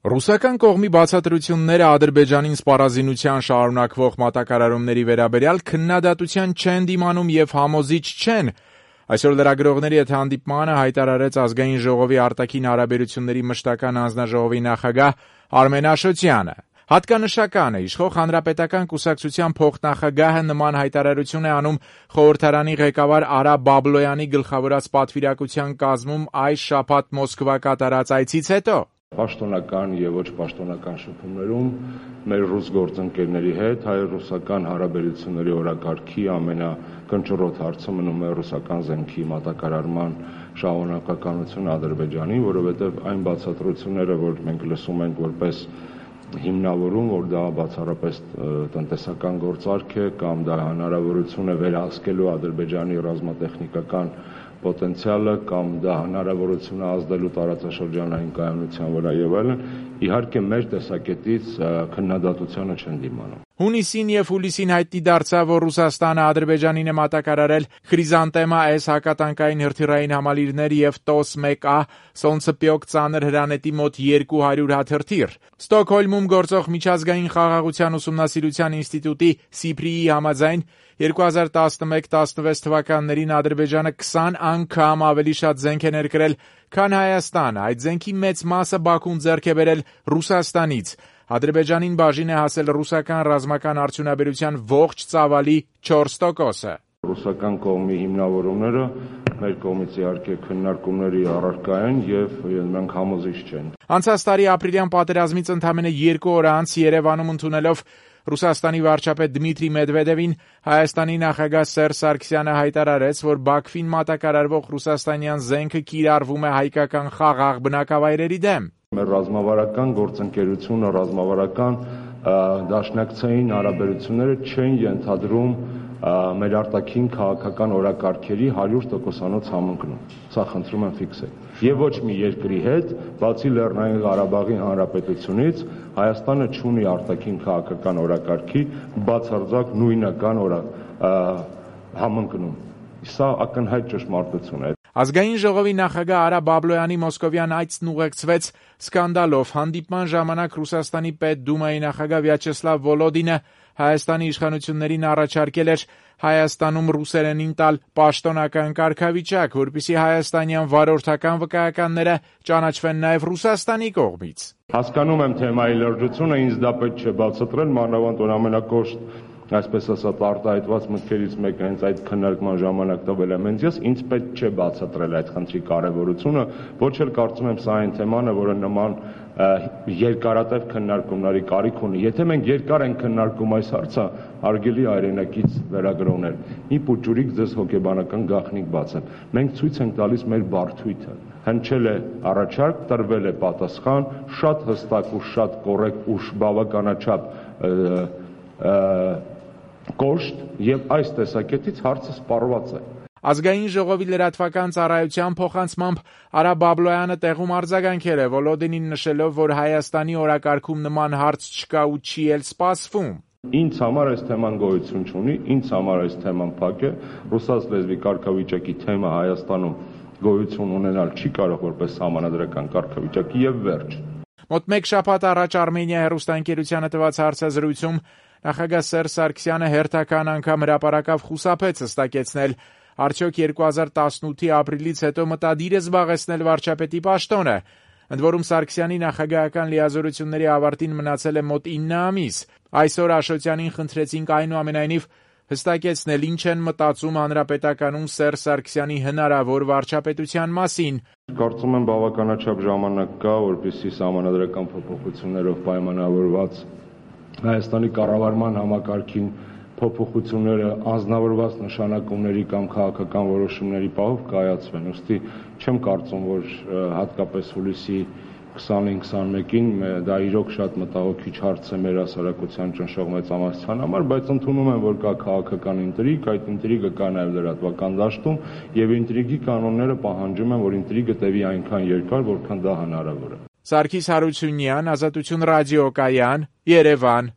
Ռուսական կողմի բացատրությունները Ադրբեջանին սպառազինության շարունակվող մատակարարումների վերաբերյալ քննադատության չեն դիմանում եւ համոզիչ չեն։ Այսօր լրագրողների հետ հանդիպմանը հայտարարեց Ազգային ժողովի արտաքին հարաբերությունների մշտական հանձնաժողովի նախագահ Արմեն Աշոտյանը։ Հատկանշական է, իշխող հանրապետական կուսակցության փոխնախագահը նման հայտարարություն է անում խորհրդարանի ղեկավար Արա Բաբլոյանի գլխավորած պատվիրակության կազմում այս շաբաթ Մոսկվա կատարած այցից հետո։ Պաշտոնական եւ ոչ պաշտոնական շփումներում մեր ռուս գործընկերների հետ հայ-ռուսական հարաբերությունների օրակարգի ամենակնճռոտ հարցը մնում է ռուսական զենքի մատակարարման շարունակականությունը Ադրբեջանի, որովհետեւ այն բացատրությունները, որ մենք լսում ենք որպես հիմնավորում, որ դա բացառապես տնտեսական գործարք է կամ դա հնարավորություն է վերահսկելու Ադրբեջանի ռազմատեխնիկական պոտենցիալը կամ դա հնարավորություն է ազդելու տարածաշրջանային կայունության վրա եւ այլն, իհարկե մեր տեսակետից քննադատությանը չեն դիմանում։ Հունիսին եւ հուլիսին հայտնի դարձավ, որ Ռուսաստանը Ադրբեջանին է մատակարարել Խրիզանտեմա S հակատանկային հրթիռային համալիրներ եւ TOS-1A Սոնցպյոկ ծանր հրանետի մոտ 200 հատ հրթիռ։ Ստոկհոլմում գործող միջազգային խաղաղության ուսումնասիրության ինստիտուտի SIPRI-ի համաձայն 2011-16 թվականներին Ադրբեջանը 20 անգամ ավելի շատ զենք է ներկրել, քան Հայաստանը։ Այդ զենքի մեծ մասը Բաքուն ձեռք է բերել Ռուսաստանից։ Ադրբեջանին բաժին է հասել ռուսական ռազմական արդյունաբերության ողջ ծավալի 4%-ը։ Ռուսական կողմի հիմնավորումները մեր կողմից իհարկե քննարկումների առարկա են եւ մենք համոզիչ չենք։ Անցած տարի ապրիլյան պատերազմից ընդամենը 2 օր անց Երևանում ընդունելով Ռուսաստանի վարչապետ Դմիտրի Մեդվեդևին Հայաստանի նախագահ Սերժ Սարգսյանը հայտարարեց, որ Բաքվին մատակարարվող ռուսաստանյան զենքը կիրառվում է հայկական խաղաղ բնակավայրերի դեմ։ Մեր ռազմավարական գործընկերությունը, ռազմավարական դաշնակցային հարաբերությունները չեն ենթադրում մեր արտաքին քաղաքական օրակարգերի 100%-անոց համընկնում։ Սա խնդրում եմ ֆիքսել։ Եվ ոչ մի երկրի հետ, բացի Լեռնային Ղարաբաղի Հանրապետությունից, Հայաստանը չունի արտաքին քաղաքական օրակարգի բացարձակ նույնական համընկնում։ Սա ակնհայտ ճշմարտություն է։ Ազգային ժողովի նախագահ Արա Բաբլոյանի մոսկովյան այցն ուղեկցվեց սկանդալով։ Հանդիպման ժամանակ Ռուսաստանի Պետդումայի նախագահ Վյաչեսլավ Վոլոդինը Հայաստանի իշխանություններին առաջարկել էր Հայաստանում ռուսերենին տալ պաշտոնական կարգավիճակ, որպեսզի հայաստանյան վարորդական վկայականները ճանաչվեն նաև Ռուսաստանի կողմից։ Հասկանում եմ թեմայի լրջությունը, ինձ դա պետք չէ բացատրել, մանավանդ որ ամենակոշտ այսպես ասած արտահայտված մտքերից մեկը հենց այդ քննարկման ժամանակ տվել եմ ինձ, ինձ պետք չէ բացատրել այդ խնդրի կարևորությունը, ոչ էլ կարծում եմ սա այն թեման է, որը նման երկարատև քննարկումների կարիք ունի։ Եթե մենք երկար ենք քննարկում այս հարցը, հարգելի հայրենակից լրագրողներ, մի փոքրիկ ձեզ հոգեբանական գաղտնիք բացեմ։ Մենք ցույց ենք տալիս մեր բարդույթը։ Հնչել է առաջարկ, տրվել է պատասխան, շատ հստակ ու շատ կոռեկտ ու բավականաչափ կոշտ եւ այս տեսակետից հարցը սպառված է։ Ազգային ժողովի լրատվական ծառայության փոխանցմամբ Արա Բաբլոյանը տեղում արձագանքել է Վոլոդինին նշելով, որ Հայաստանի օրակարգում նման հարց չկա ու չի էլ սպասվում։ Ինձ համար այս թեման գոյություն չունի, ինձ համար այս թեման փակ է, ռուսաց լեզվի կարգավիճակի թեմա Հայաստանում գոյություն ունենալ չի կարող որպես համանadrական կարգավիճակ եւ վերջ։ Մոտ մեկ շաբաթ առաջ Արմենիա հեռուստաընկերությանը տված հարցազրույցում նախագահ Սերժ Սարգսյանը հերթական անգամ հրապարակավ խուսափեց հստակեցնել, արդյոք 2018-ի ապրիլից հետո մտադիր է զբաղեցնել վարչապետի պաշտոնը։ Ընդ որում Սարգսյանի նախագահական լիազորությունների ավարտին մնացել է մոտ 9 ամիս։ Այսօր Աշոտյանին խնդրեցինք այնուամենայնիվ հստակեցնել, ինչ են մտածում հանրապետականում Սերժ Սարգսյանի հնարավոր վարչապետության մասին։ Կարծում եմ բավականաչափ ժամանակ կա, որպեսզի սահմանադրական փոփոխություններով պայմանավորված Հայաստանի կառավարման համակարգին փոփոխությունները անձնավորված նշանակումների կամ քաղաքական որոշումների պահով կայացվեն։ Ուստի չեմ կարծում, որ հատկապես հուլիսի 20-21-ին դա իրոք շատ մտահոգիչ հարց է մեր հասարակության ճնշող մեծամասնության համար, բայց ընդունում եմ, որ կա քաղաքական ինտրիգ, այդ ինտրիգը կա նաև լրատվական դաշտում եւ ինտրիգի կանոնները պահանջում են, որ ինտրիգը տևի այնքան երկար, որքան դա հնարավոր է։ Սարգիս Հարությունյան, Ազատություն ռադիոկայան, Երևան։